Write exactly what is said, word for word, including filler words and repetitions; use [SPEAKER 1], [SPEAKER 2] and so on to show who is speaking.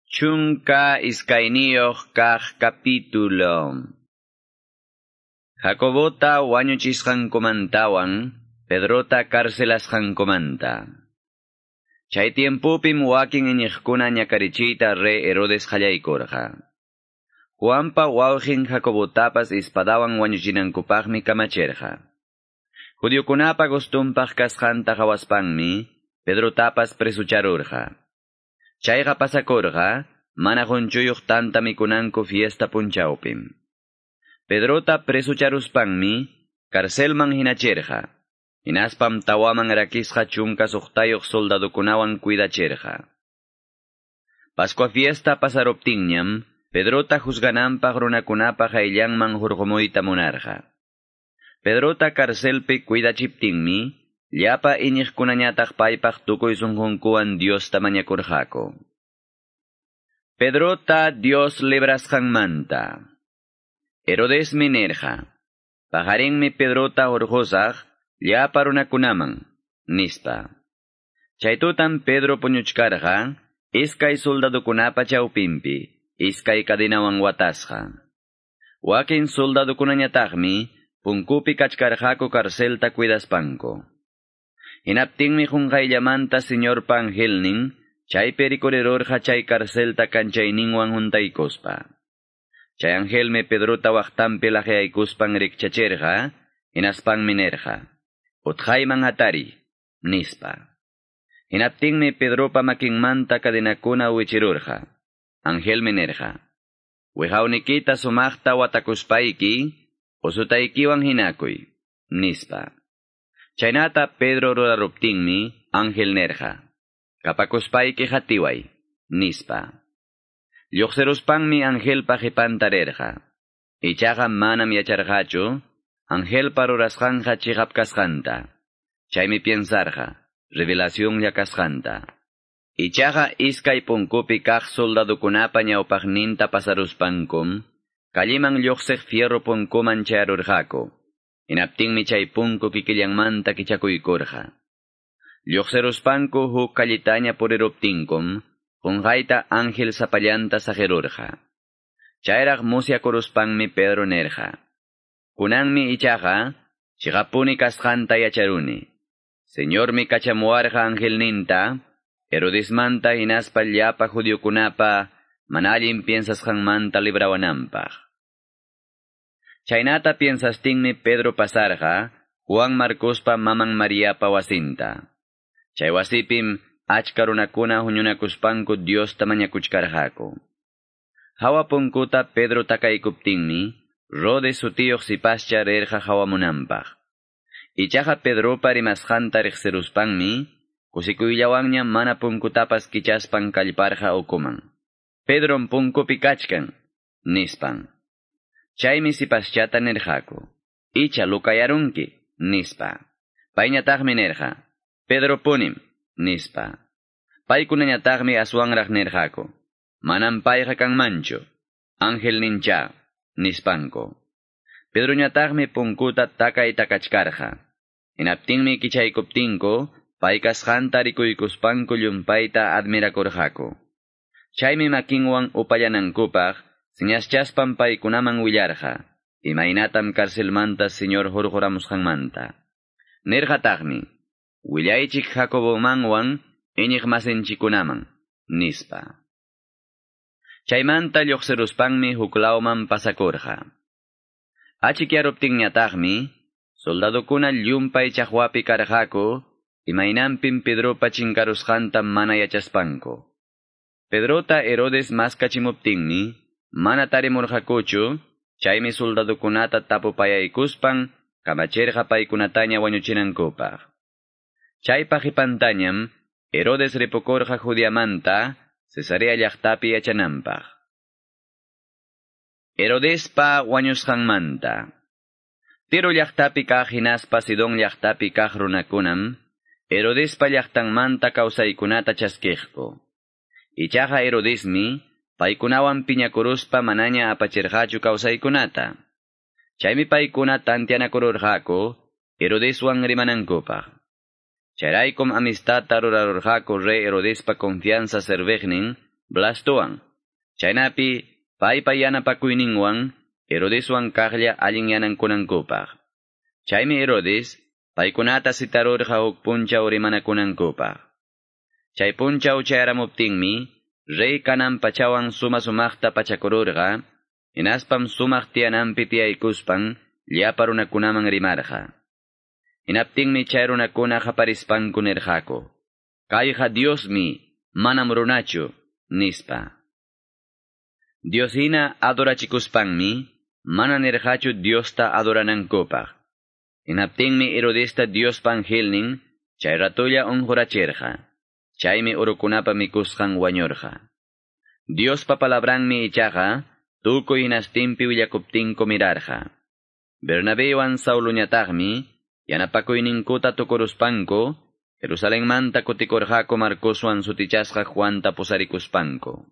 [SPEAKER 1] Chunka iskayniyuq kaq capítulo. Jacobota wañuchisqankumantawan, Pedrota carcelasqankumanta. Chay tiempopim wakin iñiqkuna ñakarichiyta rey Herodes qallaykurqa. Juanpa wawqin Jacobotapas espadawan wañuchinankupaqmi kamachirqa. Judiokunapa gustumpaq kasqanta qhawaspanmi, Pedrotapas presucharurqa. Chayqa pasakurqa, mana qunchuyuq tanta mikunanku fiesta punchawpim. Pedrota presucharuspanmi, carcelman hinachirqa. Hinaspam tawaman rakisqa chunka suqtayuq soldadukunawan cuidachirqa. Pascua fiesta pasaruptinñam, Pedrota juzgananpaq runakunapa qayllanman hurqumuyta munarqa. Pedrota carcelpi cuidachiptinmi, llapa iñiqkunañataq paypaq tukuy sunqunkuwan Diosta mañakurqaku. Pedrota Dios librasqanmanta. Herodesmi nirqa, paqarinmi Pedrota hurqusaq llapa runakunaman, nispa. Chay tutam Pedro puñuchkarqa, iskay soldadukunapa chawpinpi, iskay cadenawan watasqa. Wakin soldadukunañataqmi punkupi kachkarqaku carcelta cuidaspanku. Hinaptinmi qunqayllamanta Señorpa angelnin, chaypi rikurirurqa chay carcelta kanchayninwan huntaykuspa. Chay angelmi Pedrota waqtanpi laqyaykuspan rikchachirqa, hinaspanmi nirqa, utqhayman hatari, nispa. Hinaptinmi Pedropa makinmanta cadenakuna wichirurqa. Angelmi nirqa, wiqawnikita sumaqta watakuspayki, usutaykiwan hinakuy, nispa. Chaynata Pedro ruraruptinmi, ángel nirqa, kapakuspayki qatiway, nispa. Lluqsiruspanmi angelpa qipanta rirqa. Ichaqa manam yacharqachu, angelpa rurasqanqa chiqap kasqanta. Chaymi piensarqa, revelacionlla kasqanta. Ichaqa iskay punkupi kaq soldadukunapa ñawpaqninta pasaruspankum, calliman lluqsiq fierro punkuman chayarurqaku. Hinaptinmi chay punku kikillanmanta kichakuykurqa. Lluqsiruspanku huk callitaña puriruptinkum, qunqayta ángel sapallanta saqirurqa. Chayraq musyakuruspanmi Pedro nirqa, kunanmi ichaqa, chiqapuni kasqanta yacharuni. Señormi kachamuwarqa angelninta, Herodesmanta hinaspa llapa judiokunapa mana allin piensasqanmanta librawananpaq. Chaynata piensastinmi Pedro pasarqa, Juan Marcospa maman Mariapa wasinta. Chay wasipim achka runakuna huñunakuspanku Diosta mañakuchkarqaku. Hawa punkuta Pedro takaykuptinmi, Rode sutiyuq sipascha rirqa hawamunanpaq. Ichaqa Pedropa rimasqanta riqsiruspanmi, kusikuyllawanña mana punkutapas kichaspan kallparqa ukuman. Pedrom punkupi kachkan, nispan. Chaymi sipaschata nirqaku, icha lukayarunki, nispa. Payñataqmi nirqa, Pedro punim, nispa. Paykunañataqmi aswanraq nirqaku, manam payqa kanmanchu, ángel nincha, nispanku. Pedroñataqmi punkuta takay takachkarqa. Hinaptinmi kichaykuptinku, pay kasqanta rikuykuspanku llumpayta admirakurqaku. Chaymi makinwan upallanankupaq, señaschaspan paykunaman willarqa, imaynatam carcelmanta Señor hurquramusqanmanta. Nirqataqmi, willaychik Jacobomanwan iñiqmasinchikkunaman, nispa. Chaymanta lluqsiruspanmi huklawman pasakurqa. Achikyaruptinñataqmi, soldadukuna llumpay chaqwapi karqaku, imaynanpim Pedropa chinkarusqanta mana yachaspanku. Pedrota Herodes maskachimuptinmi, mana tarimurqakuchu, chaymi soldadukunata tapupayaykuspan, kamachirqa paykunataña wañuchinankupaq. Chaypa qipantañam, Herodes ripukurqa Judeamanta, Cesarea llaqtapi yachananpaq. Herodespa wañusqanmanta. Tiro llaqtapi kaq hinaspa Sidón llaqtapi kaq runakunam, Herodespa llaqtanmanta kawsaykunata chaskiqku. Ichaqa Herodesmi, paykunawan piñakuruspa manaña apachirqachu kawsaykunata. Chaymi paykuna tantianakururqaku, Herodeswan rimanankupaq. Chayraykum amistadta rurarurqaku rey Herodespa confianza serviqnin, Blastowan. Chaynapi paypa yanapakuyninwan Herodeswan kaqlla allinyanankunankupaq. Chaymi Herodes paykunata citarurqa huk punchaw rimanakunankupaq. Chay punchaw chayaramuptinmi rey kanan pachawan suma sumaqta pachakururqa, hinaspam sumaq tiyananpi tiyaykuspan llapa runakunaman rimarqa. Hinaptinmi chay runakuna qaparispanku nirqaku: Kayqa Diosmi, manam runachu, nispa. Dios hina adorachikuspanmi, mana nirqachu Diosta adoranankupaq. Hinaptinmi Herodesta Diospa angelnin, chay ratolla unqurachirqa. Chaymi urukunapa mikusqan wañurqa. Diospa palabranmi ichaqa, tukuy hinastinpi willakuptinku mirarqa. Bernabewan Sauluñataqmi, yanapakuyninkuta tukuruspanku, Jerusalenmanta kutikurqaku Marcoswan sutichasqa Juanta pusarikuspanku.